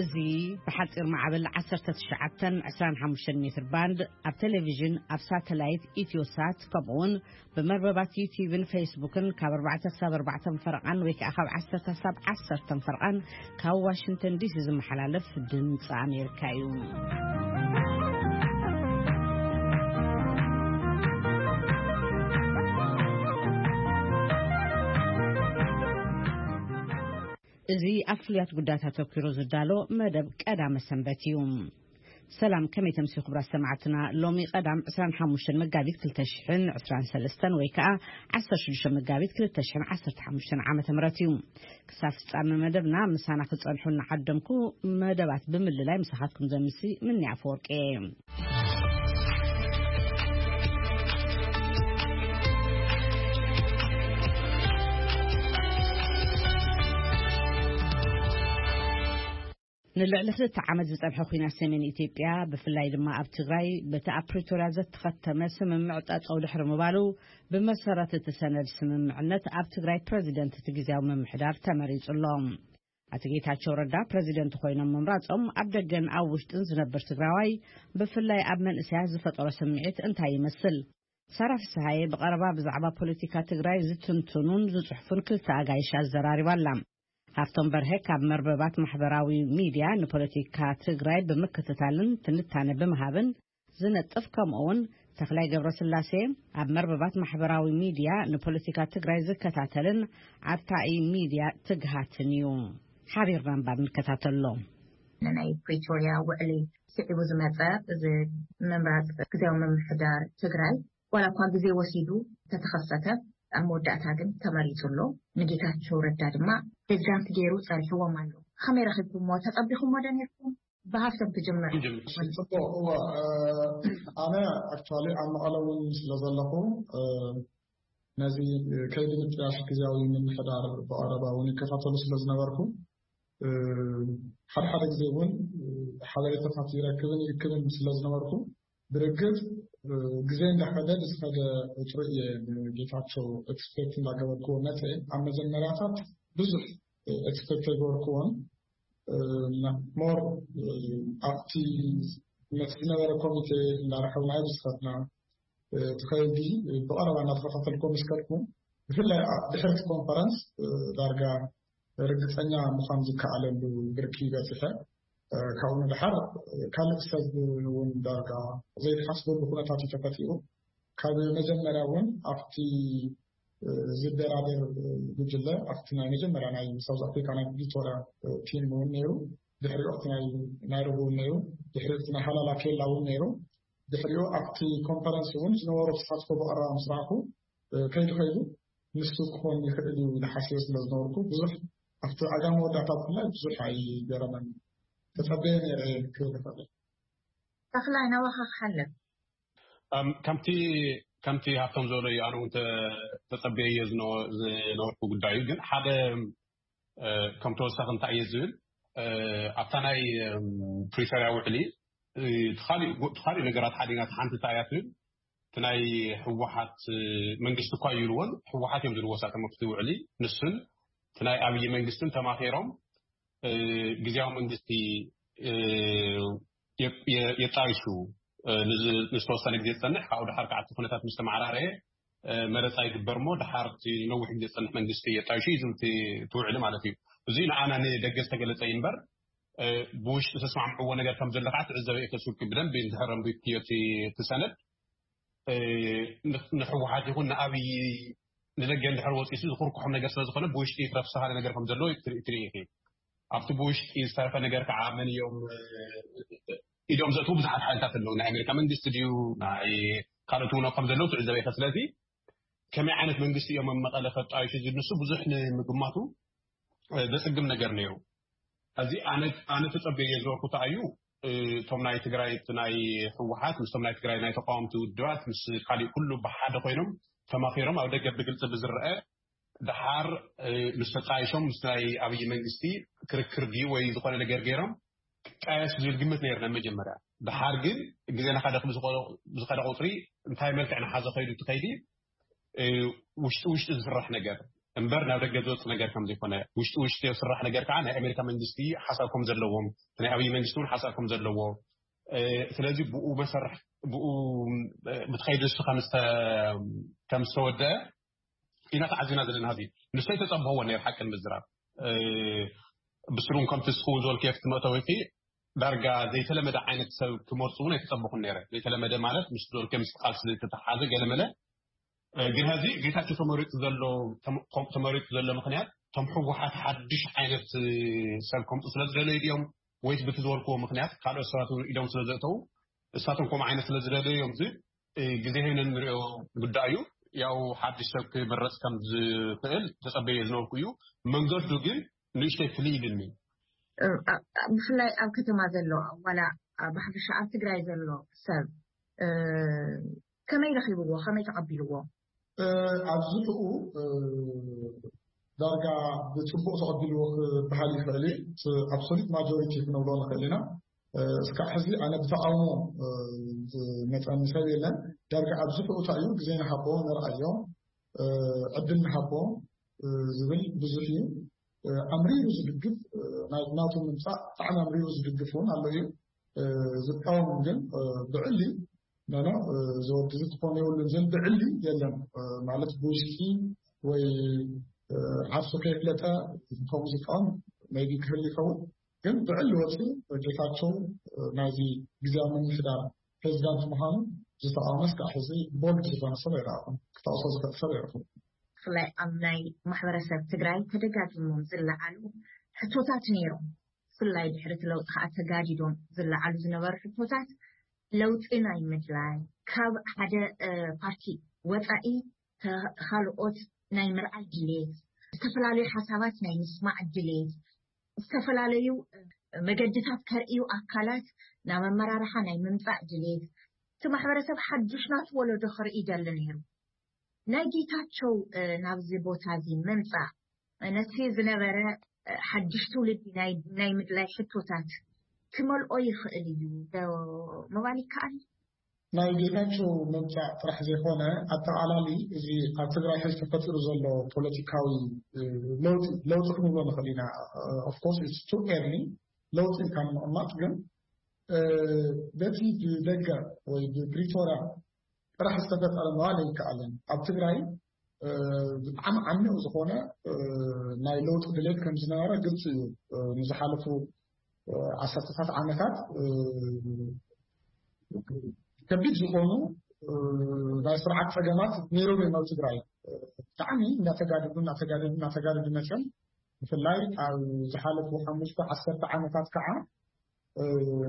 እዚ ብሓጺር ማዕበል ዓሰርተ ትሽዓተን ዕስራን ሓሙሽተን ሜትር ባንድ ኣብ ቴሌቪዥን፣ ኣብ ሳተላይት ኢትዮሳት፣ ከምኡውን ብመርበባት ዩቲዩብን ፌስቡክን ካብ ኣርባዕተ ክሳብ ኣርባዕተ ፈረቓን ወይ ከዓ ካብ ዓሰርተ ክሳብ ዓሰርተ ፈረቓን ካብ ዋሽንግተን ዲሲ ዝመሓላለፍ ድምፂ ኣሜሪካ እዩ። እዚ ኣብ ፍሉያት ጉዳያት ኣተኲሩ ዝዳሎ መደብ ቀዳመ ሰንበት እዩ። ሰላም፣ ከመይ ተምሲ ክቡራት ሰማዕትና? ሎሚ ቀዳም ዕስራን ሓሙሽተን መጋቢት ክልተ ሽሕን ዕስራን ሰለስተን ወይ ከዓ ዓሰርተ ሽዱሽተ መጋቢት ክልተ ሽሕን ዓሰርተ ሓሙሽተን ዓመተ ምህረት እዩ። ክሳብ ፍጻመ መደብና ምሳና ክጸንሑ እናዓደምኩ፣ መደባት ብምልላይ ምሳኻትኩም ዘምሲ ምኒ ኣፈወርቂ እየ። ንልዕሊ ክልተ ዓመት ዝጸንሐ ኲናት ሰሜን ኢትዮጵያ፣ ብፍላይ ድማ ኣብ ትግራይ፣ በቲ ኣብ ፕሪቶርያ ዘተኸተመ ስምምዕ ጠጠው ድሕሪ ምባሉ፣ ብመሰረት እቲ ሰነድ ስምምዕነት ኣብ ትግራይ ፕረዚደንት እቲ ግዝያዊ ምምሕዳር ተመሪጹ ኣሎ። ኣቶ ጌታቸው ረዳ ፕረዚደንት ኮይኖም ምምራጾም ኣብ ደገን ኣብ ውሽጥን ዝነብር ትግራዋይ፣ ብፍላይ ኣብ መንእሰያት ዝፈጠሮ ስምዒት እንታይ ይመስል? ሳራ ፍስሃየ ብቐረባ ብዛዕባ ፖለቲካ ትግራይ ዝትንትኑን ዝጽሕፉን ክልተ ኣጋይሽ ኣዘራሪባ ኣላ። ሃፍቶም በርሀ ካብ መርበባት ማሕበራዊ ሚድያ ንፖለቲካ ትግራይ ብምክትታልን ትንታነ ብምሃብን ዝነጥፍ፣ ከምኡ እውን ተኽላይ ገብረስላሴ ኣብ መርበባት ማሕበራዊ ሚድያ ንፖለቲካ ትግራይ ዝከታተልን ኣርታኢ ሚድያ ትግሃትን እዩ። ሓቢርና እምበር ንከታተሎ። ናይ ፕሪቶርያ ውዕሊ ስዒቡ ዝመጸ እዚ ምምራጽ ግዜያዊ ምምሕዳር ትግራይ፣ ዋላ እኳ ግዜ ወሲዱ ተተኸሰተ፣ ኣብ መወዳእታ ግን ተመሪጹ ኣሎ። ንጌታቸው ረዳ ድማ ፕሬዚዳንት ገይሩ ጸሪሕዎም ኣሎ። ከመይ ረኺብኩሞ? ተጸቢኹሞ ዶ ነርኩም? ብሃፍቶም ክጅምር። ጽቡቅ። እዋ፣ እ፣ ኣነ ኣክቹዋሊ ኣብ መቐለ እውን ስለ ዘለኹ፣ እ፣ ነዚ ከይዲ ምጥያሽ ግዜያዊ ምምሕዳር ብቐረባ እውን ይከታተሉ ስለ ዝነበርኩ፣ እ፣ ሓደ ሓደ ግዜ እውን፣ እ፣ ሓበሬታታት ይረክብን ይእክብን ስለ ዝነበርኩ፣ ብርግጽ፣ እ፣ ግዜ እንዳኸደ ብዝኸደ ቁጽሪ እየ ንጌታቸው ኤክስፔክት እንዳገበርኩዎ መጸ። ኣብ መጀመርያታት ብዙሕ ኤክስፔክት ኣይገበርኩዎን። እ፣ ሞር፣ እ፣ ኣብቲ ነቲ ዝነበረ ኮሚቴ እንዳረኸብና እዩ ዝኸድና። እ፣ እቲ ከይዲ ብቐረባ እናተኸታተልኩዎ ምስ ከድኩ፣ ብፍላይ ኣብ ድሕርቲ ኮንፈረንስ፣ እ፣ ዳርጋ ርግጸኛ ምዃን ዝከኣለሉ ብርኪ በጺሐ። እ፣ ካብኡ ንደሓር፣ እ፣ ካልእ ሰብ እውን ዳርጋ ዘይትሓስበሉ ኩነታት እዩ ተፈጢሩ። ካብ መጀመርያ እውን ኣብቲ፣ እ፣ ዝደራደር፣ እ፣ ጉጅለ፣ ኣብቲ ናይ መጀመርያ ናይ ሳውዝ ኣፍሪካ ናይ ፕሪቶርያ፣ እ፣ ቲም እውን ነይሩ። ድሕሪኡ ኣብቲ ናይ ናይሮቢ እውን ነይሩ። ድሕሪኡ ኣብቲ ናይ ሃላላ ኬላ እውን ነይሩ። ድሕሪኡ ኣብቲ ኮንፈረንስ እውን ዝነበሮ ተሳትፎ ብቐረባ ምስ ረኣኹ፣ እ፣ ከይዱ ከይዱ ንሱ ክኾን ይኽእል እዩ ኢለ ሓሲበ ስለ ዝነበርኩ፣ ብዙሕ ኣብቲ ኣጋ መወዳእታ ብፍላይ ብዙሕ ኣይገረመን። ተጸበየ ነይረ ክብል ይኽእል። ተኽላይ፣ ናባኻ ክሓልፍ። ኣም፣ ከምቲ፣ ከምቲ ሃብቶም ዝበሎ እዩ፣ ኣነ እውን ተ-፣ ተጸበየዮ ዝነ-፣ ዝነበርኩ ጉዳይ እዩ። ግን ሓደ፣ እ፣ ከም ተወሳኺ እንታይ እየ ዝብል፣ እ፣ ኣብታ ናይ፣ እም፣ ፕሪቶርያ ውዕሊ፣ እ፣ እቲ ካሊእ ጎ-፣ እቲ ካሊእ ነገራት ሓዲግና፣ እቲ ሓንቲ እንታይ እያ ትብል፣ እቲ ናይ ህወሓት፣ እ፣ መንግስቲ እኳ ይብልዎን፣ ህወሓት እዮም ዝብልዎ እሳቶም ኣብቲ ውዕሊ። ንሱን እቲ ናይ ኣብይ መንግስትን ተማኺሮም፣ እ፣ ግዝያዊ መንግስቲ፣ እ፣ የ-፣ የ-፣ የጣይሹ፣ እ፣ ንዝ-፣ ንዝተወሰነ ግዜ ዝጸንሕ፣ ካብኡ ደሓር ከዓ እቲ ኩነታት ምስ ተመዓራረየ፣ እ፣ መረጻ ይግበር እሞ፣ ደሓር እቲ ነዊሕ ግዜ ዝጸንሕ መንግስቲ የጣይሹ እዩ ዝብል እቲ፣ እቲ ውዕሊ ማለት እዩ። እዚ ንዓና ንደገ ዝተገለጸ እዩ እምበር፣ እ፣ ብውሽጢ ዝተስማዕምዕዎ ነገር ከም ዘሎ ከዓ ትዕዘበ እየ፣ ከስውቂ ብደንቢ እንድሕር ኣንቢብክዮ እቲ፣ እቲ ሰነድ፣ እ፣ ን-፣ ንህወሓት ይኹን ንኣብይ ንደገ እንድሕር ወፂሱ ዝኹርኩሖም ነገር ስለ ዝኾነ ብውሽጢ ክረፍስሃለ ነገር ከም ዘለዎ ትርኢ፣ ትርኢ ኢኺ። ኣብቲ ብውሽጢ ዝተረፈ ነገር ከዓ መን እዮም፣ እ፣ ኢዶም ዘእትዉ ብዙሓት ሓይልታት ኣለዉ። ናይ ኣሜሪካ መንግስቲ ድዩ፣ ናይ ካልኦት እውን ከም ዘለዉ ትዕዘበ ኢኺ። ስለዚ ከመይ ዓይነት መንግስቲ እዮም ኣብ መቐለ ከጣይሹ ዝንሱ ብዙሕ ንምግማቱ፣ እ፣ ዘጽግም ነገር ነይሩ። እዚ ኣነ፣ ኣነ ተጸብየ ዝነበርኩ እንታይ እዩ፣ እ፣ እቶም ናይ ትግራይ፣ እቲ ናይ ህወሓት ምስቶም ናይ ትግራይ ናይ ተቃወምቲ ውድባት ምስ ካሊእ ኩሉ ብሓደ ኮይኖም ተማኺሮም ኣብ ደገ ብግልጺ ብዝረአ፣ ደሓር፣ እ፣ ምስ ተጣይሾም ምስ ናይ ኣብይ መንግስቲ ክርክር ድዩ ወይ ዝኾነ ነገር ገይሮም ክቃየሱ ዝብል ግምት ነይርና መጀመርያ። ደሓር ግን ግዜ እናኸደ ብዝኸደ ቁፅሪ እንታይ መልክዕ እናሓዘ ከይዱ እቲ ከይዲ፣ እ፣ ውሽጢ ውሽጢ ዝስራሕ ነገር፣ እምበር ናብ ደገ ዝወፅ ነገር ከም ዘይኮነ፣ ውሽጢ ውሽጢ ዝስራሕ ነገር ከዓ ናይ ኣሜሪካ መንግስቲ ሓሳብ ከም ዘለዎም፣ ናይ ኣብይ መንግስቲ እውን ሓሳብ ከም ዘለዎ፣ ስለዚ ብኡ መሰርሕ ብኡ ብትኸይድ ንሱ ከም ዝተወደአ ኢና ተዓዚና ዘለና። ህዚ ንሱ ኣይተፀብህዎ ነይር ሓቂ ንምዝራብ። ብስሩን ከምቲ ስኹውን ዝበልክዮ ክቲ መእተዊኺ ዳርጋ ዘይተለመደ ዓይነት ሰብ ክመርፁ እውን ኣይተፀበኹን ነይረ። ዘይተለመደ ማለት ምስ ዝበልክዮ ምስ ቃልሲ ዝተተሓሓዘ ገለመለ። ግን ሀዚ ጌታቸው ተመሪጡ ዘሎ ተመሪጡ ዘሎ ምክንያት፣ ቶም ህወሓት ሓድሽ ዓይነት ሰብ ከምፁ ስለ ዝደለዩ ድዮም ወይስ ብቲ ዝበልክዎ ምክንያት ካልኦት ሰባት እውን ኢዶም ስለ ዘእተው እሳቶም ከምኡ ዓይነት ስለ ዝደለዩ እዮም? እዚ ግዜ ሄነን ንሪኦ ጉዳይ እዩ። ያው ሓድሽ ሰብ ክምረፅ ከም ዝኽእል ተፀበየ ዝነበርኩ እዩ። መንገዱ ግን ንእሽተይ ፍልይ ኢልኒ። ብፍላይ ኣብ ከተማ ዘሎ ዋላ ብሓፈሻ ኣብ ትግራይ ዘሎ ሰብ ከመይ ረኺብዎ? ከመይ ተቐቢልዎ? ኣብዚ ብኡ ዳርጋ ብፅቡቕ ተቐቢልዎ ክበሃል ይኽእል እዩ። ኣብሶሉት ማጆሪቲ ክንብሎ ንኽእል ኢና። እስካዕ ሕዚ ኣነ ብተቃውሞ ዝመፀኒ ሰብ የለን። ዳርጋ ኣብዚ ብኡ እንታይ እዩ፣ ግዜ ንሃቦ፣ ንርኣዮ፣ ዕድል ንሃቦ ዝብል ብዙሕ እዩ። ኣምሪሩ ዝድግፍ፣ ናቱ ምምፃእ ብጣዕሚ ኣምሪሩ ዝድግፍ እውን ኣሎ እዩ። ዝቃወም ግን ብዕሊ ኖኖ፣ እዚ ወዲ እዚ ክኾን የብሉን ዝብል ብዕሊ የለን። ማለት ብውሽጢ ወይ ዓርሱ ከየፍለጠ ከምኡ ዝቃወም maybe ክህሉ ይኸውን። ግን ብዕሊ ወፂኡ ጌታቸው ናይዚ ግዜያዊ ምምሕዳር ፕሬዚዳንት ምዃኑ ዝተቃወመ እስካዕ ሕዚ ቦልድ ዝኾነ ሰብ ኣይረኣኹን። ክጠቕሶ ዝኽእል ሰብ ኣይረኹን። ብፍላይ ኣብ ናይ ማሕበረሰብ ትግራይ ተደጋጊሞም ዝለዓሉ ሕቶታት ነይሮም። ብፍላይ ድሕሪ እቲ ለውጢ ከዓ ተጋዲዶም ዝለዓሉ ዝነበሩ ሕቶታት ለውጢ ናይ ምድላይ፣ ካብ ሓደ ፓርቲ ወፃኢ ካልኦት ናይ ምርኣይ ድሌት፣ ዝተፈላለዩ ሓሳባት ናይ ምስማዕ ድሌት፣ ዝተፈላለዩ መገድታት ከርእዩ ኣካላት ናብ ኣመራርሓ ናይ ምምፃእ ድሌት፣ እቲ ማሕበረሰብ ሓዱሽ ናቱ ወለዶ ክርኢ ይደሊ ነይሩ። ናይ ጌታቸው ናብዚ ቦታ እዚ ምምፃእ ነቲ ዝነበረ ሓድሽ ትውልዲ ናይ ምድላይ ሕቶታት ክመልኦ ይኽእል እዩ ዶ ምባል ይከኣል? ናይ ጌታቸው ምምፃእ ጥራሕ ዘይኮነ ኣጠቓላሊ እዚ ኣብ ትግራይ ሕዚ ተፈጢሩ ዘሎ ፖለቲካዊ ለውጢ ለውጢ ክንብሎ ንኽእል ኢና። Of course it's too early ለውጢ ኢልካ ንምቕማጥ ግን በቲ ብደገ ወይ ብፕሪቶርያ ጥራሕ ዝተፈጠረ ምባል ኣይከኣልን። ኣብ ትግራይ ብጣዕሚ ዓሚቕ ዝኾነ ናይ ለውጢ ድሌት ከም ዝነበረ ግልፂ እዩ። ንዝሓለፉ ዓሰርተታት ዓመታት ከቢድ ዝኾኑ ናይ ስርዓት ፀገማት ነይሮም እዮም ኣብ ትግራይ። ብጣዕሚ እናተጋደዱ እናተጋደዱ እናተጋደዱ መፅኦም። ብፍላይ ኣብ ዝሓለፉ ሓሙሽተ ዓሰርተ ዓመታት ከዓ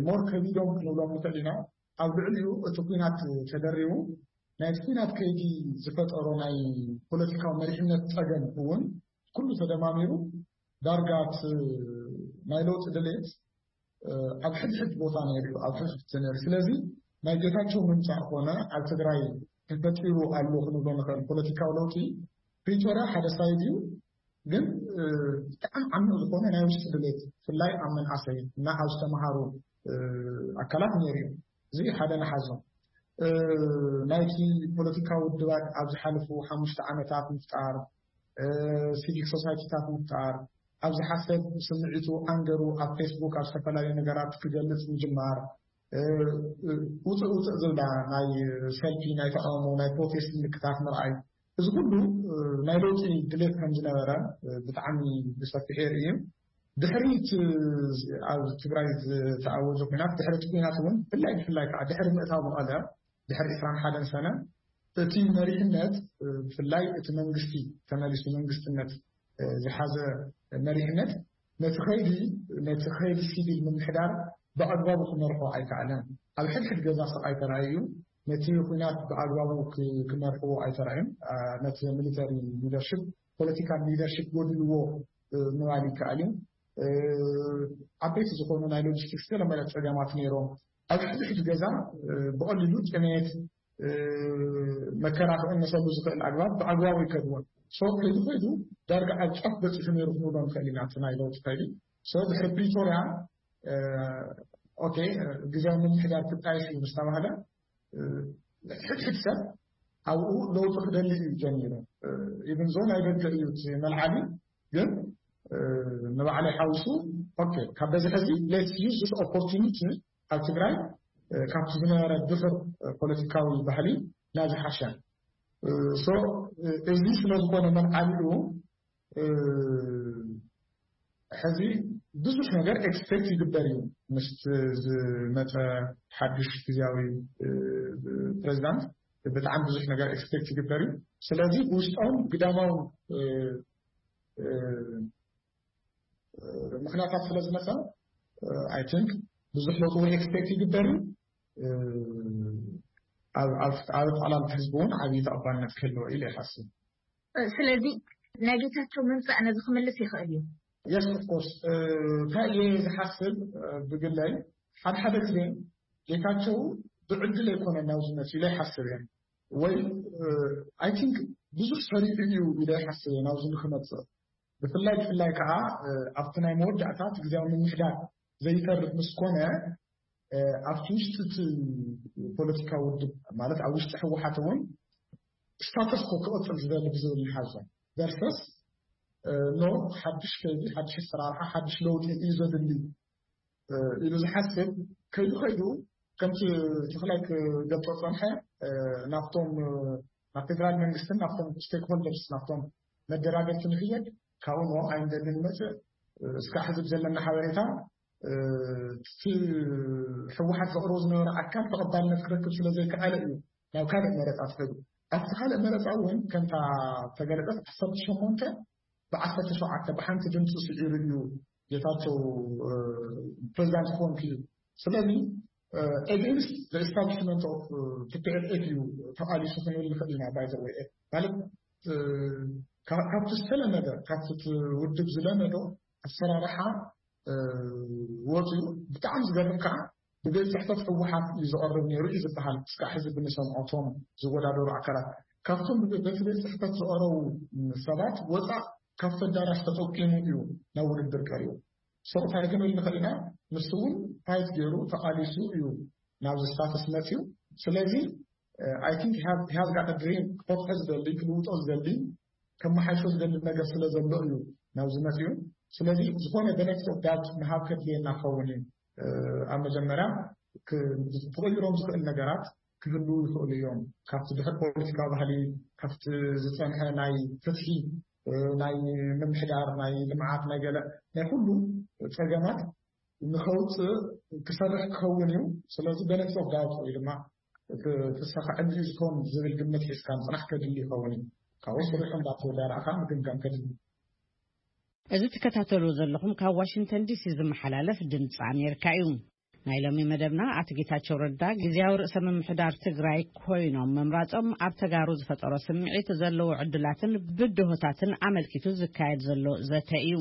ሞር ከቢዶም ክንብሎም ንኽእል ኢና። ኣብ ልዕሊኡ እቲ ኲናት ተደሪቡ ናይቲ ኲናት ከይዲ ዝፈጠሮ ናይ ፖለቲካዊ መሪሕነት ፀገም እውን ኩሉ ተደማሚሩ ዳርጋ እቲ ናይ ለውጢ ድሌት ኣብ ሕድሕድ ቦታ ነይሩ እዩ፣ ኣብ ሕድሕድ ነይሩ። ስለዚ ናይ ጌታቸው ምምፃእ ኮነ ኣብ ትግራይ ተፈጢሩ ኣሎ ክንብሎ ንኽእል ፖለቲካዊ ለውጢ ፕሪቶርያ ሓደ ሳይድ እዩ፣ ግን ብጣዕሚ ዓሚቕ ዝኾነ ናይ ውሽጢ ድሌት ብፍላይ ኣብ መንኣሰይ እና ኣብ ዝተምሃሩ ኣካላት ነይሩ እዩ። እዚ ሓደ ንሓዞ። ናይቲ ፖለቲካዊ ውድባት ኣብ ዝሓለፉ ሓሙሽተ ዓመታት ምፍጣር፣ ሲቪክ ሶሳይቲታት ምፍጣር፣ ኣብዚ ሓሰብ ስምዒቱ ኣንገሩ ኣብ ፌስቡክ ኣብ ዝተፈላለዩ ነገራት ክገልፅ ምጅማር፣ ውፅእ ውፅእ ዝብላ ናይ ሰልፊ ናይ ተቃውሞ ናይ ፕሮቴስት ምልክታት ምርኣይ፣ እዚ ኩሉ ናይ ለውጢ ድሌት ከም ዝነበረ ብጣዕሚ ብሰፊሑ የርኢ እዩ። ድሕሪ እቲ ኣብ ትግራይ ዝተኣወጀ ኩናት ድሕሪ እቲ ኩናት እውን ብፍላይ ብፍላይ ከዓ ድሕሪ ምእታው መቐለ ድሕሪ ዕስራን ሓደን ሰነ እቲ መሪሕነት ብፍላይ እቲ መንግስቲ ተመሊሱ መንግስትነት ዝሓዘ መሪሕነት ነቲ ኸይዲ ነቲ ኸይዲ ሲቪል ምምሕዳር ብኣግባቡ ክመርሖ ኣይከኣለን። ኣብ ሕድሕድ ገዛ ስቕ ኣይተራእዩ፣ ነቲ ኩናት ብኣግባቡ ክመርሕዎ ኣይተራእዩን። ነቲ ሚሊተሪ ሊደርሽፕ ፖለቲካል ሊደርሽፕ ጎዲልዎ ምባል ይከኣል እዩ። ዓበይቲ ዝኾኑ ናይ ሎጂስቲክስ ገለመለ ፀገማት ነይሮም። ኣብ ሕድሕድ ገዛ ብቐሊሉ ጥሜት መከራ ክቕነሰሉ ዝኽእል ኣግባብ ብኣግባቡ ይከድዎን። ሶ ከይዱ ከይዱ ዳርጋ ኣብ ጫፍ በፂሑ ነይሩ ክንብሎ ንኽእል ኢና እቲ ናይ ለውጢ ከይዲ። ሶ ድሕሪ ፕሪቶርያ ኦኬ ግዜያዊ ምምሕዳር ክጣየሽ እዩ ምስ ተባህለ ሕድሕድ ሰብ ኣብኡ ለውጢ ክደሊ እዩ ጀሚሩ። ኢብን ዞ ናይ ደገ እዩ እቲ መልዓሊ። ግን ንባዕለይ ሓዊሱ፣ ኦኬ፣ ካብ በዚ ሕዚ let's use this opportunity ኣብ ትግራይ ካብቲ ዝነበረ ድሑር ፖለቲካዊ ባህሊ ናብ ዝሓሸ። So እዚ ስለዝኾነ መልዓሊኡ ሕዚ ብዙሕ ነገር ኤክስፔክት ይግበር እዩ። ምስቲ ዝመፀ ሓዱሽ ግዜያዊ ፕሬዚዳንት ብጣዕሚ ብዙሕ ነገር ኤክስፔክት ይግበር እዩ። ስለዚ ብውሽጣውን ግዳማውን ምክንያታት ስለዝመፀ፣ I think ብዙሕ ለውጢ ወይ ኤክስፔክት ይግበር እዩ። ኣብ ጠቕላላ ህዝቢ እውን ዓብዪ ተቐባልነት ክህልዎ ኢለ ይሓስብ። ስለዚ ናይ ጌታቸው ምምፃእ ነዚ ክምልስ ይኽእል እዩ። Yes, of course። እንታይ እየ ዝሓስብ? ብግለይ ሓደ ሓደ ግዜ ጌታቸው ብዕድል ኣይኮነ ናብዚ መፅኡ ኢለ ይሓስብ እየ። ወይ I think ብዙሕ ሰሪሑ እዩ ኢለ ይሓስብ እየ ናብዚ ንክመፅእ። ብፍላይ ብፍላይ ከዓ ኣብቲ ናይ መወዳእታ እቲ ግዜያዊ ምምሕዳር ዘይተርፍ ምስ ኮነ፣ ኣብቲ ውሽጢ እቲ ፖለቲካዊ ውድብ፣ ማለት ኣብ ውሽጢ ህወሓት እውን ስታተስ ኮ ክቕፅል ዝደሊ ብዝብል ንሓዞ፣ ቨርሰስ ኖ ሓዱሽ ከይዲ፣ ሓዱሽ ኣሰራርሓ፣ ሓዱሽ ለውጢ እዩ ዘድሊ ኢሉ ዝሓስብ ከይዱ ከይዱ፣ ከምቲ ተኽላይ ክገልፆ ፀንሐ፣ ናብቶም ናብ ፌደራል መንግስትን ናብቶም ስቴክሆልደርስ፣ ናብቶም መደራደርቲ ንክየድ፣ ካብኡ ንኦም ኣይንደልን ንመፅእ። እስካዕ ሕዚ ብዘለና ሓበሬታ እቲ ህወሓት ዘቕርቦ ዝነበረ ኣካል ተቐባልነት ክረክብ ስለዘይከኣለ እዩ ናብ ካልእ መረፃ ትኸዱ። ኣብቲ ካልእ መረፃ እውን ከምታ ተገለፀት ዓሰርተ ሸሞንተ ብዓሰርተ ሸውዓተ ብሓንቲ ድምፂ ስዒሩ እዩ ጌታቸው ፕሬዚዳንት ክኾን ክኢሉ። ስለዚ against the establishment of T P L F እዩ ተቓሊሱ ክንብል ንኽእል ኢና። ባይዘወይ ማለት ካብቲ ዝተለመደ ካብቲ ውድብ ዝለመዶ ኣሰራርሓ ወፂኡ። ብጣዕሚ ዝገርም ከዓ ብቤት ፅሕፈት ህወሓት እዩ ዝቐርብ ነይሩ እዩ ዝበሃል። እስካዕ ሕዚ ብንሰምዖ እቶም ዝወዳደሩ ኣካላት ካብቶም በቲ ቤት ፅሕፈት ዝቐረቡ ሰባት ወፃእ ካብቲ ኣዳራሽ ተጠቂሙ እዩ ናብ ውድድር ቀሪቡ። So እንታይ ክንብል ንኽእል ኢና? ንሱ እውን ፋይት ገይሩ ተቓሊሱ እዩ ናብዚ ስታተስ መፅዩ። ስለዚ I think he has got a dream፣ ክፈትሖ ዝደሊ፣ ክልውጦ ዝደሊ፣ ከመሓይሾ ዝደሊ ነገር ስለ ዘሎ እዩ ናብዚ መፅዩ። ስለዚ ዝኾነ benefit of doubt ምሃብ ከድልየና ክኸውን እዩ። ኣብ መጀመርያ ክቕይሮም ዝኽእል ነገራት ክህልዉ ይኽእሉ እዮም። ካብቲ ድሕር ፖለቲካዊ ባህሊ፣ ካብቲ ዝፀንሐ ናይ ፍትሒ፣ ናይ ምምሕዳር፣ ናይ ልምዓት፣ ናይ ገለ ናይ ኩሉ ፀገማት ንኸውፅእ ክሰርሕ ክኸውን እዩ። ስለዚ benefit of doubt ወይ ድማ ፍሰኻ ዕድል ዝኸውን ዝብል ግምት ሒዝካ ምፅናሕ ከድሊ ይኸውን እዩ። ካብኡ ስሪሑ እንዳተወዳዳእካ ምግምጋም ከድሊ። እዚ ትከታተሉ ዘለኹም ካብ ዋሽንግተን ዲሲ ዝመሓላለፍ ድምፂ ኣሜሪካ እዩ። ናይ ሎሚ መደብና ኣቶ ጌታቸው ረዳ ግዜያዊ ርእሰ ምምሕዳር ትግራይ ኮይኖም ምምራፆም ኣብ ተጋሩ ዝፈጠሮ ስምዒት፣ ዘለዎ ዕድላትን ብድሆታትን ኣመልኪቱ ዝካየድ ዘሎ ዘተ እዩ።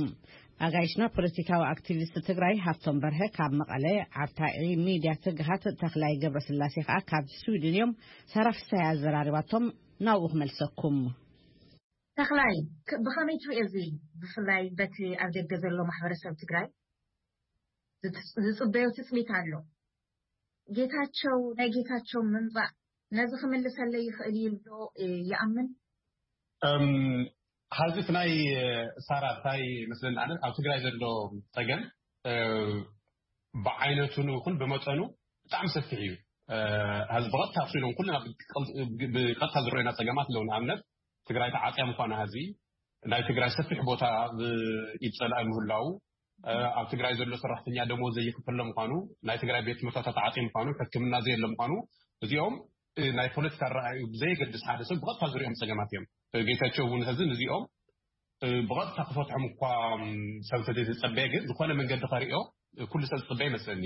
ኣጋይሽና ፖለቲካዊ ኣክቲቪስት ትግራይ ሃፍቶም በርሀ ካብ መቐለ፣ ዓርታዒ ሚድያ ትግሃት ተኽላይ ገብረስላሴ ከዓ ካብ ስዊድን እዮም። ሳራ ፍሳይ ኣዘራሪባቶም ናብኡ ክመልሰኩም። ተኽላይ፣ ብኸመይ ትሪኦ እዚ? ብፍላይ በቲ ኣብ ደገ ዘሎ ማሕበረሰብ ትግራይ ዝፅበዮ ትፅቢት ኣሎ። ጌታቸው፣ ናይ ጌታቸው ምምፃእ ነዚ ክምልሰለይ ይኽእል እዩ ዶ ይኣምን? ሀዚ ናይ ሳራ እንታይ መስለኒ ኣነ ኣብ ትግራይ ዘሎ ፀገም ብዓይነቱ ይኹን ብመጠኑ ብጣዕሚ ሰፊሕ እዩ። ሀዚ ብቐጥታ ክሱ ኢሎም ኩልና ብቐጥታ ዝረአዩና ፀገማት ኣለዉ። ንኣብነት ትግራይ ተዓፅያ ምኳና፣ ሀዚ ናይ ትግራይ ሰፊሕ ቦታ ኢድ ፀላኢ ምህላው፣ ኣብ ትግራይ ዘሎ ሰራሕተኛ ደሞዝ ዘይክፈሎ ምኳኑ፣ ናይ ትግራይ ቤት ትምህርትታት ተዓፅዩ ምኳኑ፣ ሕክምና ዘየለ ምኳኑ፣ እዚኦም ናይ ፖለቲካ ኣረኣእዩ ብዘየገድስ ሓደ ሰብ ብቐጥታ ዝሪኦም ፀገማት እዮም። ጌታቸው እውን ሀዚ ነዚኦም ብቐጥታ ክፈትሖም እኳ ሰብ እንተዘይተፀበየ፣ ግን ዝኾነ መንገዲ ከሪኦ ኩሉ ሰብ ዝፅበ ይመስለኒ።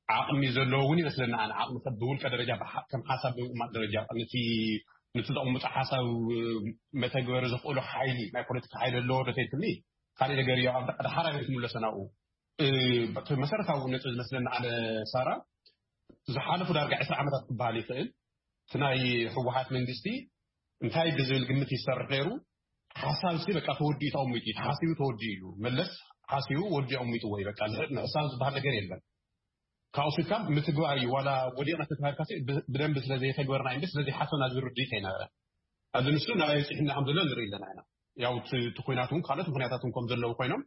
ዓቕሚ ዘለዎ እውን ይመስለኒ። ኣነ ዓቕሚ ሰብ ብውልቀ ደረጃ ከም ሓሳብ ብምቕማጥ ደረጃ ነቲ ነቲ ዘቕምጦ ሓሳብ መተግበሪ ዘኽእሎ ሓይሊ፣ ናይ ፖለቲካ ሓይሊ ኣለዎ ዶ ተይትኒ ካልእ ነገር እዩ። ኣብ ዳሓራይ ክትምለሶ ናብኡ። እቲ መሰረታዊ ነጥቢ ዝመስለኒ ኣነ ሳራ፣ ዝሓለፉ ዳርጋ ዕስራ ዓመታት ክበሃል ይኽእል እቲ ናይ ህወሓት መንግስቲ እንታይ ብዝብል ግምት ይሰርሕ ነይሩ። ሓሳብ ሲ በቃ ተወዲኡ ተቐሚጡ እዩ፣ ተሓሲቡ ተወዲኡ እዩ። መለስ ሓሲቡ ወዲኡ ኣቐሚጥዎ እዩ። በቃ ንሕሳብ ዝበሃል ነገር የለን። ካብኡ ስልካ ምትግባር እዩ። ዋላ ወዲቕና ተተባሂልካ ሲ ብ- ብደንቢ ስለ ዘይተግበርና እንዲ ስለ ዘይሓሰብና ዝብል ርድኢት ኣይነበረ። እዚ ንሱ ናይ ፅሕና ከም ዘሎ ንርኢ ኣለና ኢና። ያው እቲ እቲ ኩናት እውን ካልኦት ምክንያታት እውን ከም ዘለዉ ኮይኖም፣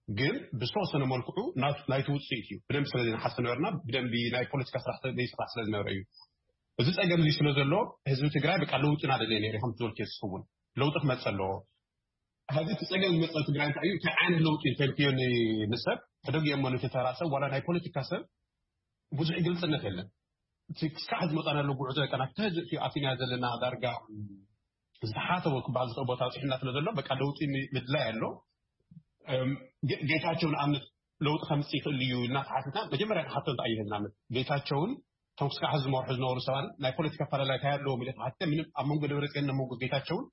ግን ብዝተወሰነ መልክዑ ናቱ- ናይቲ ውፅኢት እዩ። ብደንቢ ስለ ዘይንሓስብ ነበርና፣ ብደንቢ ናይ ፖለቲካ ስራሕ ስለ- ዘይስራሕ ስለ ዝነበረ እዩ። እዚ ፀገም እዚ ስለ ዘሎ፣ ህዝቢ ትግራይ በቃ ለውጢ እናደለየ ነይሩ። ከም ዝበልክዮ ንስኺ እውን ለውጢ ክመፅእ ኣለዎ። ሕዚ እቲ ፀገም ዝመፀ ትግራይ እንታይ እዩ? እንታይ ዓይነት ለውጢ እንተልክዮ ን- ንሰብ ሕደግ እሞ ነቲ ተራ ሰብ ዋላ ናይ ፖለቲካ ሰብ ብዙሕ ግልፅነት የለን። እቲ ክስካዕ ዝመፃናሉ ጉዕዞ ከና ክተህዝእ እዩ ኣቲና ዘለና ዳርጋ ዝተሓተወ ክበሃል ዝኽእል ቦታ ኣብፅሕና ስለ ዘሎ በቃ ለውጢ ሚ- ምድላይ ኣሎ። እም፣ ጌ- ጌታቸው ንኣብነት ለውጢ ከምፅእ ይኽእል እዩ ኢልና ተሓቲትና መጀመርያ ንሓቶ እንታይ እዩ ንኣብነት ጌታቸውን እቶም ክስካዕ ዝመርሑ ዝነበሩ ሰባት ናይ ፖለቲካ ኣፈላላይ እንታይ ኣለዎም ኢለ ተሓቲተ ምንም ኣብ መንጎ ደብረፅዮን ኣብ መንጎ ጌታቸውን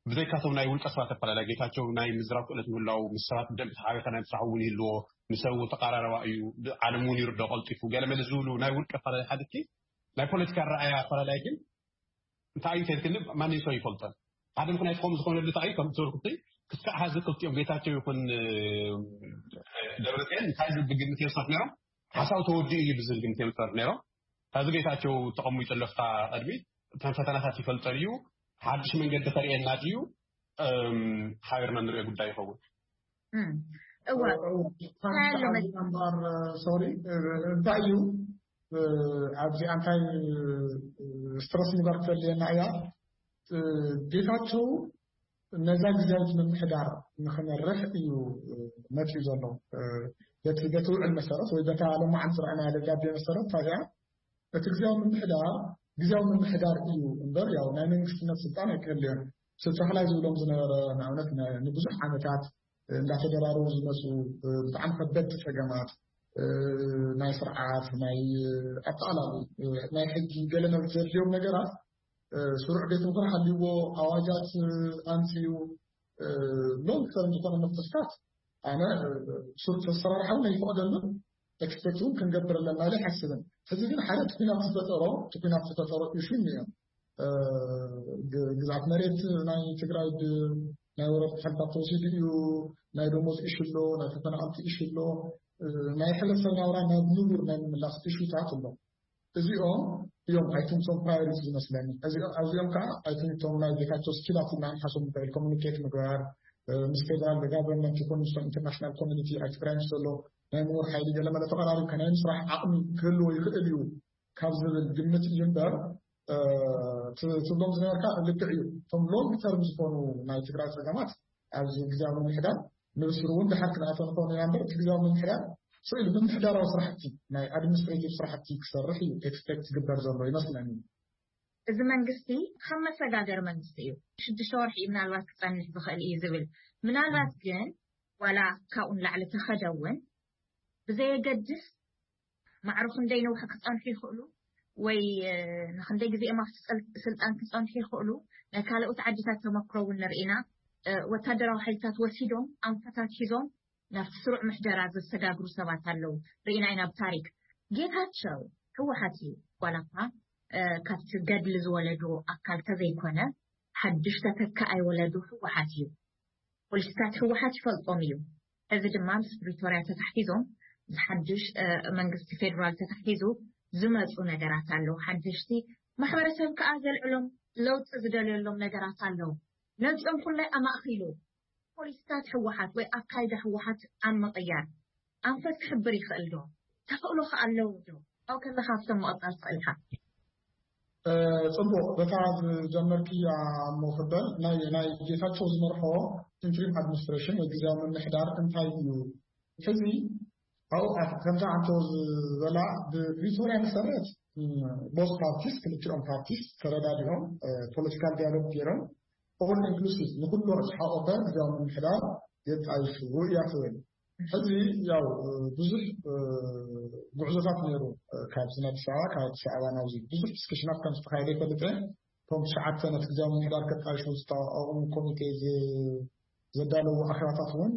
ብዘይካቶም ናይ ውልቀ ሰባት ኣፈላላይ ጌታቸው ናይ ምዝራብ ክእለት ምህላው ምስ ሰባት ብደንብ ተሓቢርካ ናይ ምስራሕ እውን ይህልዎ፣ ንሰብ እውን ተቀራረባ እዩ፣ ዓለም እውን ይርዶ ቀልጢፉ ገለመለ ዝብሉ ናይ ውልቀ ኣፈላላይ ሓደቲ ናይ ፖለቲካ ረኣያ ኣፈላላይ ግን እንታይ እዩ ተልክኒ ማንም ሰው ይፈልጠን ሓደ ምክንያት ከም ዝኾነሉ እንታይ ከም ትብል ክስካዕ ሀዚ ክልቲኦም ጌታቸው ይኹን ደብረፅዮን እንታይ ዝብል ግምት እዮም ዝሰርሑ ነይሮም ሓሳብ ተወዲኡ እዩ ብዝብል ግምት እዮም ዝሰርሑ ነይሮም። ሕዚ ጌታቸው ተቐሚጡ ኣሎ ኣብታ ቅድሚት እተን ፈተናታት ይፈልጠን እዩ። ሓድሽ መንገዲ ከርእየና ድዩ? ሓቢርና ንሪኦ ጉዳይ ይኸውን። እዋ እምበር ሶሪ እንታይ እዩ ኣብዚ ኣንታይ ስትረስ ንበር ክፈልየና እያ። ጌታቸው ነዛ ግዜያዊት ምምሕዳር ንክመርሕ እዩ መፅኡ ዘሎ። በቲ በቲ ውዕል መሰረት ወይ በታ ለማዓንቲ ዝረኣናያ ደብዳቤ መሰረት ታዲያ እቲ ግዜያዊ ምምሕዳር ግዜያዊ ምምሕዳር እዩ እምበር ያው ናይ መንግስትነት ስልጣን ኣይክህልዮን። ስልጣን ዝብሎም ዝነበረ ንኣብነት ንብዙሕ ዓመታት እንዳተደራረቡ ዝመፁ ብጣዕሚ ከበድቲ ፀገማት ናይ ስርዓት ናይ ኣጠቃላሊ ናይ ሕጊ ገለ መብት ዘድልዮም ነገራት ስሩዕ ቤት ምኽሪ ሃልይዎ ኣዋጃት ኣምፅኡ ሎንግ ተርም ዝኾነ መፍትሕታት ኣነ ስሩዕ ኣሰራርሓ እውን ኣይፈቐደሉን። ኤክስፔክት እውን ክንገብር ኣለና ኢለ ኣይሓስብን። ሕዚ ግን ሓደ እቲ ኲናት ዝፈጠሮ እቲ ኲናት ዝፈጠሮ ኢሹ እኒኦ። ግዝኣት መሬት ናይ ትግራይ ናይ ወረርቲ ሓይልታት ተወሲዱ እዩ። ናይ ደሞዝ ኢሹ ኣሎ፣ ናይ ተፈናቐልቲ ኢሹ ኣሎ፣ ናይ ሕብረተሰብ ናብራ ናብ ንቡር ናይ ምምላስ ኢሹታት ኣሎ። እዚኦም እዮም ኣይትንቶም ፕራዮሪቲ ዝመስለኒ። እዚኦም ኣብዚኦም ከዓ ኣይትንቶም ናይ ጌታቸው ስኪላት ኢልና ንሓሶም ንኽእል ኮሚኒኬት ምግባር ምስ ፌደራል ጋቨርንመንት ይኹን ምስቶም ኢንተርናሽናል ኮሚኒቲ ኣብ ትግራይ ምስ ዘሎ ናይ ምሁር ሓይሊ ገለመለ ተቐራሪብካ ናይ ምስራሕ ዓቕሚ ክህልዎ ይኽእል እዩ ካብ ዝብል ግምት እዩ እምበር ትብሎም ዝነበርካ ልክዕ እዩ። እቶም ሎንግ ተርም ዝኾኑ ናይ ትግራይ ፀገማት ኣብዚ ግዜያዊ ምምሕዳር ንብስሩ እውን ድሓር ክንኣቶ ንኾኑ ኢና እምበር እቲ ግዜያዊ ምምሕዳር ስኢሉ ምምሕዳራዊ ስራሕቲ ናይ ኣድሚኒስትሬቲቭ ስራሕቲ ክሰርሕ እዩ ኤክስፔክት ዝግበር ዘሎ ይመስለኒ። እዚ መንግስቲ ከም መሰጋገሪ መንግስቲ እዩ። ሽዱሽተ ወርሒ እዩ ምናልባት ክፀንሕ ዝኽእል እዩ ዝብል ምናልባት ግን ዋላ ካብኡ ንላዕሊ ተኸደ እውን ብዘየገድስ ማዕረ ክንደይ ነውሒ ክፀንሑ ይኽእሉ ወይ ንክንደይ ግዜኦም ኣብቲ ስልጣን ክፀንሑ ይኽእሉ ናይ ካልኦት ዓድታት ተመክሮ እውን ንርኢና። ወታደራዊ ሓይልታት ወሲዶም ኣንፈታት ሒዞም ናብቲ ስሩዕ ምሕደራ ዘሰጋግሩ ሰባት ኣለዉ። ርኢና ኢና ብታሪክ። ጌታቸው ህወሓት እዩ ዋላ እኳ ካብቲ ገድሊ ዝወለዶ ኣካል ተዘይኮነ ሓድሽ ተተካኣይ ወለዶ ህወሓት እዩ። ፖሊሲታት ህወሓት ይፈልጦም እዩ። እዚ ድማ ምስ ፕሪቶርያ ተታሒዞም ምስ ሓድሽ መንግስቲ ፌደራል ተታሒዙ ዝመፁ ነገራት ኣለዉ። ሓደሽቲ ማሕበረሰብ ከዓ ዘልዕሎም ለውጢ ዝደልየሎም ነገራት ኣለዉ። ነዚኦም ኩላይ ኣማእኪሉ ፖሊሲታት ህወሓት ወይ ኣካይዳ ህወሓት ኣብ ምቕያር ኣንፈት ክሕብር ይኽእል ዶ? ተኽእሎ ከ ኣለዎ ዶ? ካብኡ ከለካ ኣብቶም ምቕፃል ትኽእል ኢኻ። ፅቡቕ በታ ዝጀመርክያ እሞ ክበል ናይ ናይ ጌታቸው ዝመርሖ ኢንትሪም ኣድሚኒስትሬሽን ወይ ግዜያዊ ምምሕዳር እንታይ እዩ? ሕዚ ኣብኡ ከምታ ኣንቶ ዝበላ ብፕሪቶርያ መሰረት ቦስ ፓርቲስ ክልቲኦም ፓርቲስ ተረዳዲኦም ፖለቲካል ዲያሎግ ገይሮም ኦል ኢንክሉሲቭ ንኩሉ ዝሓቆፈ ግዜያዊ ምምሕዳር የጣይሹ እያ ትብል። ሕዚ ያው ብዙሕ ጉዕዞታት ነይሩ ካብዚ ናይ ኣዲስ ኣበባ ካብ ኣዲስ ኣበባ ናብዚ ብዙሕ ዲስክሽናት ከም ዝተካየደ ይፈልጥ እየ። እቶም ትሽዓተ ነቲ ግዜያዊ ምምሕዳር ከጣይሹ ዝተቋቋሙ ኮሚቴ ዘዳለዉ ኣኼባታት እውን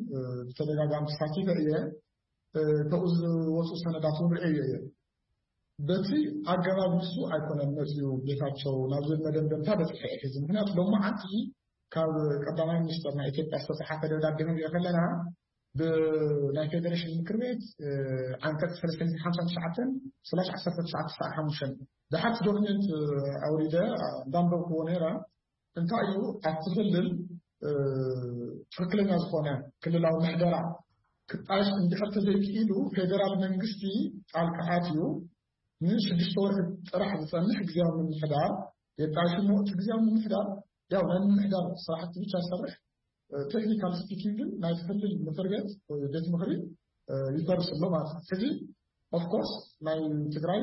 ብተደጋጋሚ ተሳቲፈ እየ። ካብኡ ዝወፁ ሰነዳት እውን ርእየ እየ። በቲ ኣገባብ ንሱ ኣይኮነን መፅኡ ጌታቸው ናብ ዝብል መደምደምታ በፂሐ እየ ሕዚ። ምክንያቱ ሎማዓንቲ ካብ ቀዳማይ ሚኒስተር ናይ ኢትዮጵያ ዝተፅሓፈ ደብዳቤ ክንሪኦ ከለና ብናይ ፌደሬሽን ምክር ቤት ዓንቀፅ ሰለስተ ሚእትን ሓምሳን ትሽዓተን ስላሽ ዓሰርተ ትሽዓተ ሰዓ ሓሙሽተ ድሓር ዶክመንት ኣውሪደ እንዳንበብክዎ ነይረ። እንታይ እዩ ኣብቲ ክልል ትክክለኛ ዝኾነ ክልላዊ ምሕደራ ክጣየሽ እንድሕር ተዘይክኢሉ፣ ፌደራል መንግስቲ ጣልቃ ኣትዩ ንሽዱሽተ ወርሒ ጥራሕ ዝፀንሕ ግዜያዊ ምምሕዳር የጣይሽ እሞ፣ እቲ ግዜያዊ ምምሕዳር ያው ናይ ምምሕዳር ስራሕቲ ብቻ ይሰርሕ። ቴክኒካል ስፒኪንግ ግን ናይ ክልል ምክር ቤት ወይ ቤት ምክሪ ይፈርስ ኣሎ ማለት እዩ። ሕዚ ኦፍኮርስ ናይ ትግራይ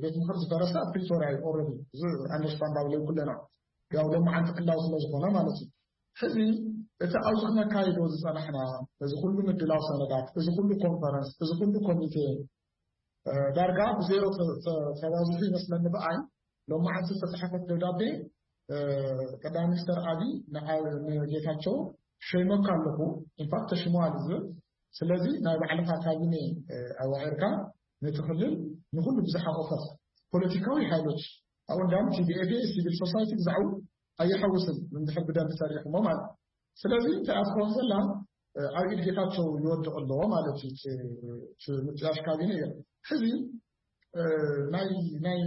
ቤት ምክር ዝፈረሰ ኣብ ፕሪቶሪያ እዩ። ኦረዲ እዚ ኣንደርስታንዳብል እዩ ኩለና። ያው ሎማዓንቲ ዕላዊ ስለ ዝኾነ ማለት እዩ። ሕዚ እቲ ኣብዚ ክነካይዶ ዝፀናሕና እዚ ኩሉ ምድላው ሰነዳት፣ እዚ ኩሉ ኮንፈረንስ፣ እዚ ኩሉ ኮሚቴ ዳርጋ ብዜሮ ተባዝሑ ይመስለኒ ብኣይ። ሎማዓንቲ ዝተፅሓፈት ደብዳቤ ቀዳማይ ሚኒስተር ኣብይ ንጌታቸው ሸይመካ ኣለኹ፣ ኢንፋክት ተሽመዋል ዝብል። ስለዚ ናይ ባዕልኻ ካቢኔ ኣዋዒርካ ነቲ ክልል ንኩሉ ብዝሓቆፈት ፖለቲካዊ ሓይሎች፣ ኣብኡ እንዳም ቲዲኤፍ፣ ሲቪል ሶሳይቲ ብዛዕቡ ኣይሓውስን እንድሕር ብደንብ ሰሪሕሞ ማለት። ስለዚ እንታይ ኣትኸውን ዘላ ኣብ ኢድ ጌታቸው ይወድቕ ኣለዎ ማለት እዩ። ምጥያሽ ካቢነ እዮ። ሕዚ ናይ ናይ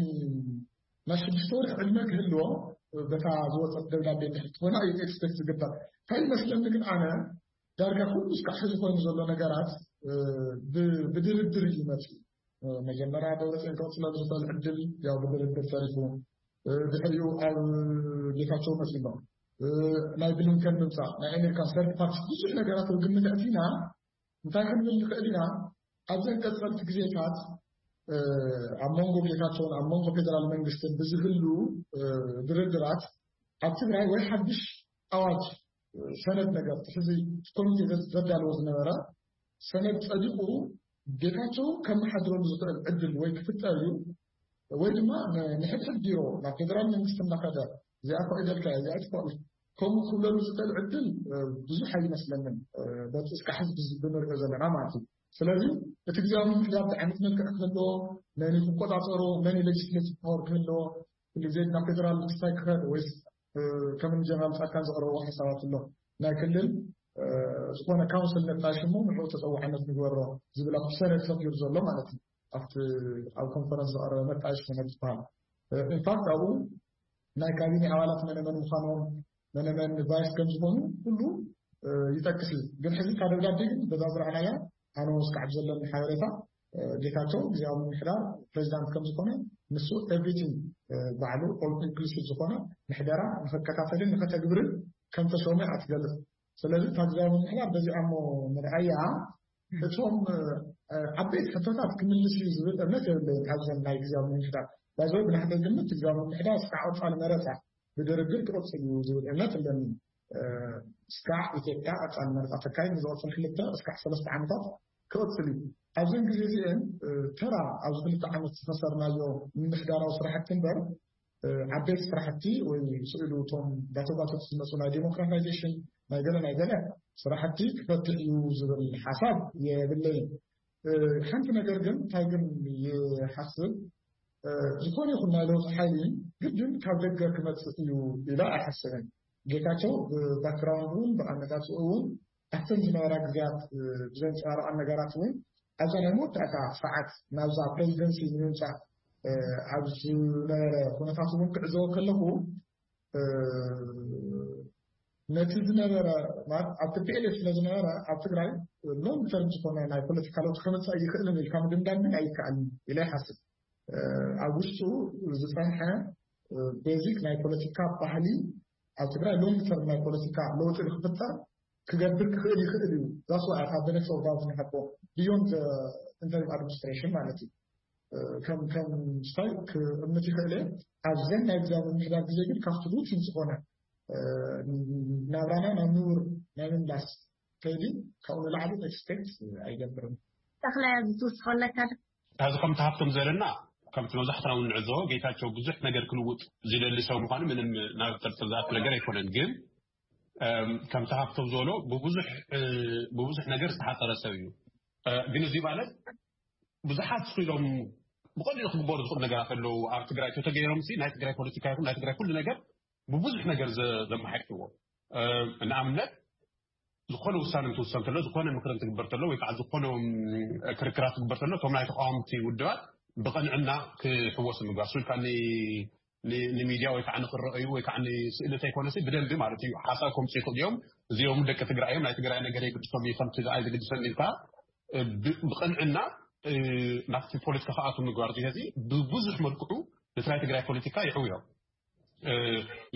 ናይ ሽዱሽተ ወርሒ ዕድመ ክህልዎ በታ ዝወፀት ደብዳቤ እንድሕር ትኾና እዩ ኤክስፔክት ዝግበር። እንታይ ይመስለኒ ግን ኣነ ዳርጋ ኩሉ እስካዕ ሕዚ ኮይኑ ዘሎ ነገራት ብድርድር እዩ መፅኡ። መጀመርያ ደብረፅዮን ክቕፅለሉ ዝኽእል ዕድል ያው ብድርድር ተሪፉ፣ ድሕሪኡ ኣብ ጌታቸው መፂሎ፣ ናይ ብሊንከን ምምፃእ፣ ናይ ኣሜሪካን ሰርድ ፓርቲ ብዙሕ ነገራት ኣብ ግምት ኣእቲና እንታይ ክንብል ንኽእል ኢና? ኣብዘን ቀፀልቲ ግዜታት ኣብ መንጎ ጌታቸውን ኣብ መንጎ ፌደራል መንግስትን ብዝህሉ ድርድራት ኣብ ትግራይ ወይ ሓድሽ ኣዋጅ ሰነድ ነገር ሕዚ ኮሚቴ ዘዳለዎ ዝነበረ ሰነድ ጸዲቑ ጌታቸው ከመሓድረሉ ዝኽእል ዕድል ወይ ክፍጠር እዩ ወይ ድማ ንሕድሕድ ቢሮ ናብ ፌደራል መንግስቲ እናኸደ እዚኣ ፈቒደልካ እዚኣ ትፈቕድ ከምኡ ክብለሉ ዝኽእል ዕድል ብዙሕ ኣይመስለንን። በቲ እስካ ሕዚ ብንሪኦ ዘለና ማለት እዩ። ስለዚ እቲ ግዜያዊ ምምሕዳር እንታይ ዓይነት መልክዕ ክህልዎ፣ መን ክቆፃፀሮ፣ መን ሌጅስሌቲቭ ፓወር ክህልዎ፣ ኩሉ ግዜ ናብ ፌደራል መንግስቲ ክኸድ ወይስ ከም ጀነራል ፃድቃን ዘቕረብዎ ሓሳባት ኣሎ ናይ ክልል ዝኾነ ካውንስል ነጣይሽ እሞ ንዕኡ ተፀዋዕነት ንግበሮ ዝብል ኣብቲ ሰነድ ሰፊሩ ዘሎ ማለት እዩ። ኣብቲ ኣብ ኮንፈረንስ ዝቐረበ መጣይሽ ሰነድ ዝበሃል ኢንፋክት ኣብኡ ናይ ካቢኔ ኣባላት መነመን ምዃኖም መነመን ቫይስ ከም ዝኾኑ ኩሉ ይጠቅስ እዩ። ግን ሕዚ ካብ ደብዳቤ ግን በዛ ዝረኣናያ ኣነ ወስካዕ ብዘለኒ ሓበሬታ ጌታቸው ግዜያዊ ምምሕዳር ፕሬዚዳንት ከም ዝኾነ ንሱ ኤቭሪቲንግ ባዕሉ ኦል ኢንክሉሲቭ ዝኾነ ምሕደራ ንክከታተልን ንከተግብርን ከም ተሾመ እያ ትገልጽ። ስለዚ እታ ግዜያዊ ምምሕዳር በዚኣ እሞ ንርኣያ እቶም ዓበይቲ ሕቶታት ክምልስ እዩ ዝብል እምነት የብለይን። ካብዘን ናይ ግዜያዊ ምምሕዳር ባይዘ ብናሕተይ ግምት ግዜያዊ ምምሕዳር እስካዕ ቀፃሊ መረፃ ብድርድር ክቕፅል እዩ ዝብል እምነት ኣለኒ። እስካዕ ኢትዮጵያ ቀፃሊ መረፃ ተካይድ ንዝቐፅል ክልተ እስካዕ ሰለስተ ዓመታት ክቕፅል እዩ። ኣብዘን ግዜ እዚአን ተራ ኣብዚ ክልተ ዓመት ዝኸሰርናዮ ምምሕዳራዊ ስራሕቲ እምበር ዓበይቲ ስራሕቲ ወይ ስእሉ እቶም ባቶባቶት ዝመፁ ናይ ዴሞክራታይዜሽን ናይ ገለ ናይ ገለ ስራሕቲ ክፈትሕ እዩ ዝብል ሓሳብ የብለይን። ሓንቲ ነገር ግን እንታይ ግን ይሓስብ ዝኾነ ይኹን ናይ ለውጢ ሓይሊ ግድን ካብ ደገ ክመፅእ እዩ ኢለ ኣይሓስብን። ጌታቸው ብባክግራውንድ እውን ብኣመጣፅኡ እውን ኣብተን ዝነበራ ግዜያት ብዘንፀባረቐን ነገራት እውን ኣብዛ ናይ መወዳእታ ሰዓት ናብዛ ፕሬዚደንሲ ንምምፃእ ኣብ ዝነበረ ኩነታት እውን ክዕዘቦ ከለኹ ነቲ ዝነበረ ማለት ኣብ ቲፒኤልኤፍ ስለ ዝነበረ ኣብ ትግራይ ሎንግ ተርም ዝኾነ ናይ ፖለቲካ ለውጢ ከምፅእ ኣይኽእልን ኢልካ ምድምዳም ግን ኣይከኣልን ኢለ ይሓስብ። ኣብ ውሽጡ ዝፀንሐ ቤዚክ ናይ ፖለቲካ ባህሊ ኣብ ትግራይ ሎንግ ተርም ናይ ፖለቲካ ለውጢ ንክፍጠር ክገብር ክኽእል ይኽእል እዩ። ዛስ ዋይ ካብ ነክስ ኦርዳውት ንሓቦ ብዮንድ ኢንተሪም ኣድሚኒስትሬሽን ማለት እዩ። ከም ከም ስታይ ክእምት ይኽእል እየ። ኣብዘን ናይ ግዛዊ ምምሕዳር ግዜ ግን ካብቲ ሩቲን ዝኾነ ናብራና ናብ ንቡር ናይ ምምላስ ከይዲ ካብኡ ንላዕሊ ኤክስፔክት ኣይገብርም። ተኽለ ዝትውስኾ ኣለካ ዶ? እዚ ከምቲ ሃብቶም ዘለና ከምቲ መብዛሕትና እውን ንዕዘቦ ጌታቸው ብዙሕ ነገር ክልውጥ ዝደሊ ሰብ ምዃኑ ምንም ናብ ጥርጥር ዝኣቱ ነገር ኣይኮነን። ግን ከምቲ ሃብቶም ዝበሎ ብብዙሕ ነገር ዝተሓፀረ ሰብ እዩ። ግን እዚ ማለት ብዙሓት ስኢሎም ብቐሊሉ ክግበሩ ዝኽእሉ ነገራት ኣለዉ። ኣብ ትግራይ ተተገይሮም ሲ ናይ ትግራይ ፖለቲካ ይኹን ናይ ትግራይ ኩሉ ነገር ብብዙሕ ነገር ዘመሓይሽዎ። ንኣብነት ዝኾነ ውሳነ እንትውሰን ከሎ ዝኾነ ምክሪ እንትግበር ተሎ ወይ ከዓ ዝኾነ ክርክራት ትግበር ተሎ እቶም ናይ ተቃወምቲ ውድባት ብቐንዕና ክሕወሱ ምግባር ሱልካኒ ንሚድያ ወይ ከዓ ንክረአዩ ወይ ከዓ ንስእሊ እንተይኮነሲ ብደንቢ ማለት እዩ ሓሳብ ከምፅኡ ይኽእሉ እዮም። እዚኦም ደቂ ትግራይ እዮም፣ ናይ ትግራይ ነገር የግድሶም እዩ ከምቲ ዝኣይ ዝግድሰኒ ኢልካ ብቕንዕና ናብቲ ፖለቲካ ከኣቱ ምግባር ዚሀዚ ብብዙሕ መልክዑ ነቲ ናይ ትግራይ ፖለቲካ ይሕውዮ።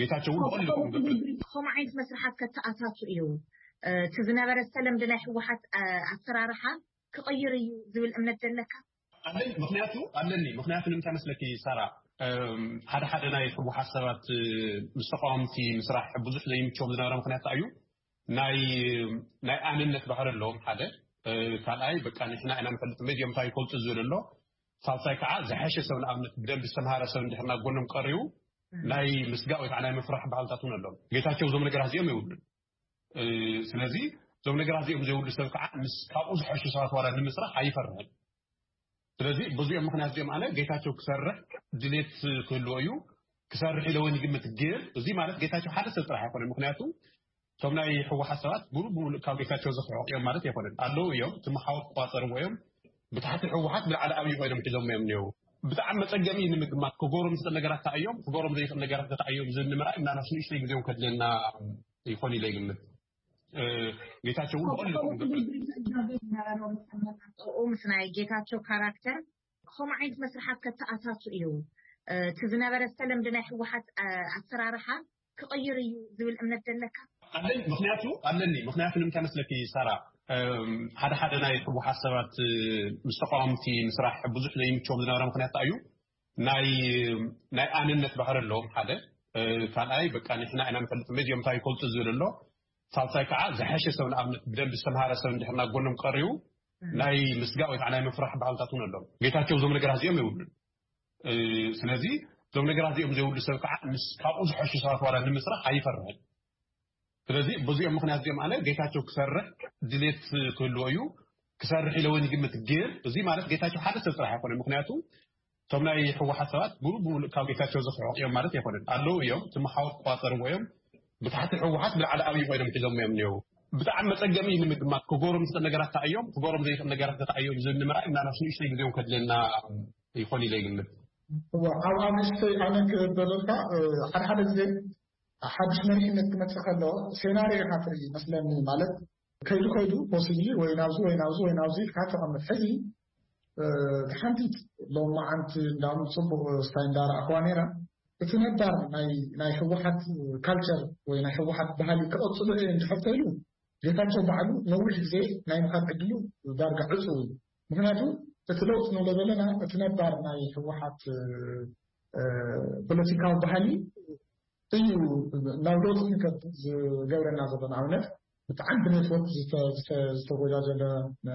ጌታቸው እውን ብቐሊሉ ከምኡ ዓይነት መስርሓት ከተኣታቱ እዩ። እቲ ዝነበረ ዝተለምደ ናይ ህወሓት ኣሰራርሓ ክቕይር እዩ ዝብል እምነት ዘለካ? ኣለኒ። ምክንያቱ ኣለኒ ምክንያቱ ንምንታይ መስለኪ ሳራ፣ ሓደ ሓደ ናይ ህወሓት ሰባት ምስ ተቃወምቲ ምስራሕ ብዙሕ ዘይምችዎም ዝነበረ ምክንያት እዩ። ናይ ናይ ኣነነት ባህሪ ኣለዎም ሓደ። ካልኣይ በቃ ንሕና ኢና ንፈልጥ መዚኦም እንታይ ይፈልጡ ዝብል ኣሎ። ሳልሳይ ከዓ ዝሐሸ ሰብ ንኣብነት ብደንብ ዝተምሃረ ሰብ እንድሕር ናብ ጎኖም ቀሪቡ ናይ ምስጋእ ወይ ከዓ ናይ ምፍራሕ ባህልታት እውን ኣለዎም። ጌታቸው እዞም ነገራት እዚኦም የብሉን። ስለዚ እዞም ነገራት እዚኦም ዘይብሉ ሰብ ከዓ ምስ ካብኡ ዝሐሹ ሰባት ዋላ ንምስራሕ ኣይፈርሕን። ስለዚ ብዙኦም ምክንያት እዚኦም ኣነ ጌታቸው ክሰርሕ ድሌት ክህልዎ እዩ። ክሰርሕ ኢለ እውን ይግምት። ግን እዚ ማለት ጌታቸው ሓደ ሰብ ጥራሕ ኣይኮነ። ምክንያቱ እቶም ናይ ህወሓት ሰባት ብሉ ብሉ ካብ ጌታቸው ዝክሕቕ እዮም ማለት ኣይኮነን። ኣለዉ እዮም፣ እቲ መሓወር ክቋፀርዎ እዮም። ብታሕቲ ህወሓት ብላዕሊ ኣብዩ ኮይኖም ሒዞም እዮም እኒው። ብጣዕሚ መፀገሚ ንምግማት ክገብሮም ዝኽእል ነገራት እንታይ እዮም፣ ክገብሮም ዘይኽእል ነገራት እንታይ እዮም ዝብል ንምርኣይ ምናልባት ንእሽተይ ግዜውን ከድለና ይኾን ኢለ ይግምት። ጌታቸው እውን ብቐሊሉ ዝጋገ ዝነበረ ኣመጣጥኡ ምስ ናይ ጌታቸው ካራክተር ከምኡ ዓይነት መስርሓት ከተኣታቱ እዩ። እቲ ዝነበረ ዝተለምደ ናይ ህወሓት ኣሰራርሓ ክቕይር እዩ ዝብል እምነት ዘለካ? ኣለኒ። ምክንያቱ ኣለኒ ምክንያቱ ንምንታይ መስለኪ ሳራ፣ ሓደ ሓደ ናይ ህወሓት ሰባት ምስ ተቃወምቲ ምስራሕ ብዙሕ ዘይምችዎም ዝነበረ ምክንያት እዩ። ናይ ናይ ኣነነት ባህሪ ኣለዎም ሓደ። ካልኣይ በቃ ንሕና ኢና ንፈልጥ መዚኦም እንታይ ይፈልጡ ዝብል ኣሎ። ሳልሳይ ከዓ ዝሐሸ ሰብ ንኣብነት ብደንብ ዝተምሃረ ሰብ እንድሕር ናብ ጎኖም ቀሪቡ ናይ ምስጋእ ወይ ከዓ ናይ ምፍራሕ ባህልታት እውን ኣለዎም። ጌታቸው እዞም ነገራት እዚኦም የብሉን። ስለዚ እዞም ነገራት እዚኦም ዘይብሉ ሰብ ከዓ ምስ ካብኡ ዝሐሹ ሰባት ዋላ ንምስራሕ ኣይፈርሕን። ስለዚ በዚኦም ምክንያት እዚኦም ኣነ ጌታቸው ክሰርሕ ድሌት ክህልዎ እዩ። ክሰርሕ ኢለ እውን ይግምት። ግን እዚ ማለት ጌታቸው ሓደ ሰብ ጥራሕ ኣይኮነ። ምክንያቱ እቶም ናይ ህወሓት ሰባት ብሉ ብሉ ካብ ጌታቸው ዝክሕቕ እዮም ማለት ኣይኮነን። ኣለዉ እዮም፣ እቲ መሓወር ክቋፀርዎ እዮም። ብታሕቲ ህወሓት ብላዕሊ ኣብዩ ኮይኖም ሒዞም እዮም እኒው። ብጣዕሚ መፀገሚ እዩ ንምግማት ክገብሮም ዝኽእል ነገራት እንታይ እዮም፣ ክገብሮም ዘይኽእል ነገራት እንታይ እዮም ዝብል ንምርኣይ ምናልባት ንእሽተይ ግዜውን ከድለና ይኾን ኢለ ይግምት። እዋ፣ ኣብ ኣብ ንእሽተይ ኣነ ክበለልካ ሓደ ሓደ ግዜ ሓድሽ መሪሕነት ክመፅእ ከሎ ሴናሪዮ ኢኻ ትርኢ መስለኒ። ማለት ከይዱ ከይዱ ፖሲብሊ ወይ ናብዚ ወይ ናብዚ ወይ ናብዚ ኢልካ ተቐምጥ። ሕዚ ሓንቲት ሎማዓንቲ እንዳም ፅቡቅ ስታይ እንዳረኣኽዋ ነይራ። እቲ ነባር ናይ ህወሓት ካልቸር ወይ ናይ ህወሓት ባህሊ ክቐፅሉ እየ እንድሕር ተይሉ ጌታቸው ባዕሉ ነዊሕ ግዜ ናይ ምኻድ ዕድሉ ዳርጋ ዕፁ እዩ። ምክንያቱ እቲ ለውጥ ንብሎ ዘለና እቲ ነባር ናይ ህወሓት ፖለቲካዊ ባህሊ እዩ ናብ ለውጢ ንከድ ዝገብረና ዘሎ። ንኣብነት ብጣዕሚ ብኔትወርክ ዝተጎጃጀለ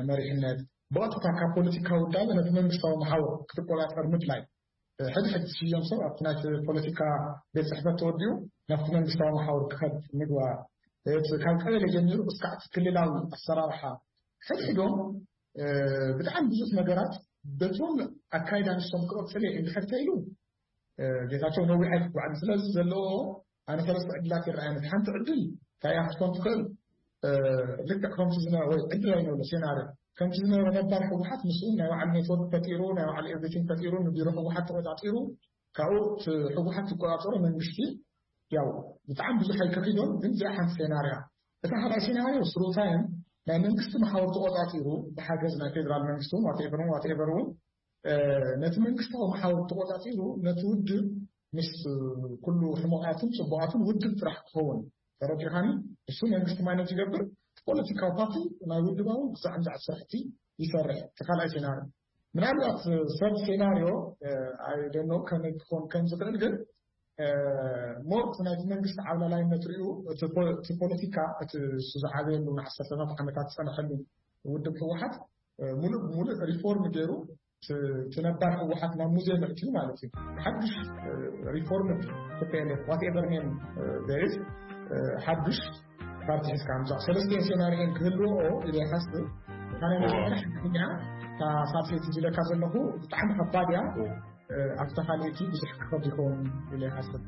መሪሕነት፣ ብቐጥታ ካብ ፖለቲካዊ ውዳበ ነቲ መንግስታዊ መሓውር ክትቆፃፀር ምድላይ። ሕድሕድ ዝሽየም ሰብ ኣብቲ ናይ ፖለቲካ ቤት ፅሕፈት ተወዲኡ ናብቲ መንግስታዊ መሓውር ክኸድ ምግባር፣ ካብ ቀበሌ ጀሚሩ እስካዕ ክልላዊ ኣሰራርሓ ሕድሕዶም ብጣዕሚ ብዙሕ ነገራት በቶም ኣካይዳ ንሶም ክቐፅል እየ እንድሕር ተኢሉ ጌታቸው ነዊሕ ኣይክጓዓን። ስለዚ ዘለዎ ኣነ ሰለስተ ዕድላት ይረኣየኒ። ሓንቲ ዕድል እንታይ እያ ክትኮን ትኽእል? ልክዕ ከምቲ ዝነበረ ወይ ዕድል ኣይነበሎ ሴናሪ ከምቲ ዝነበረ ነባር ህወሓት ምስኡ ናይ ባዕሉ ኔትወርክ ፈጢሩ ናይ ባዕሉ ኤቭሪቲንግ ፈጢሩ ንቢሮ ህወሓት ተቆፃፂሩ ካብኡ ህወሓት ዝቆፃፀሮ መንግስቲ ያው ብጣዕሚ ብዙሕ ኣይከፊዶም። ግን እዚኣ ሓንቲ ሴናርያ። እታ ካልኣይ ሴናርዮ ስሩታይን ናይ መንግስቲ መሓውር ተቆፃፂሩ ብሓገዝ ናይ ፌደራል መንግስቲ ዋቴቨር ዋቴቨር እውን ነቲ መንግስታዊ መሓውር ተቆፃፂሩ ነቲ ውድብ ምስ ኩሉ ሕሞቃትን ፅቡቃትን ውድብ ጥራሕ ክኸውን ተረዲኻኒ። እሱ መንግስቲ ማይነት ይገብር ፖለቲካዊ ፓርቲ ናይ ውድባዊ ብዛዕምዛዕ ስራሕቲ ይሰርሕ። እቲ ካልኣይ ሴናርዮ ምናልባት ሰብ ሴናርዮ ኣይደኖ ከመይ ክኾን ከም ዝኽእል ግን ሞርት ናይቲ መንግስቲ ዓብላላይነት ሪኡ እቲ ፖለቲካ እቲ እሱ ዝዓበየሉ ንዓሰርተታት ዓመታት ዝፀንሐሉ ውድብ ህወሓት ሙሉእ ብሙሉእ ሪፎርም ገይሩ እቲ ነባር ህወሓት ናብ ሙዚየም ኣእትዩ ማለት እዩ። ሓዱሽ ሪፎርም ቲፒኤልኤፍ ዋትኤቨር ኔም ደሪስ ሓዱሽ ፓርቲ ሒዝካ ምፃእ ሰለስቲኤን ሴናሪኤን ክህልዎ ኢለ ይሓስብ። ካነ መጀመርያ ሓድኛ እታ ሳልሰይቲ ዝለካ ዘለኹ ብጣዕሚ ከባድ እያ። ኣብታ ካልኣይቲ ብዙሕ ክኸብድ ይኸውን ኢለ ይሓስብ።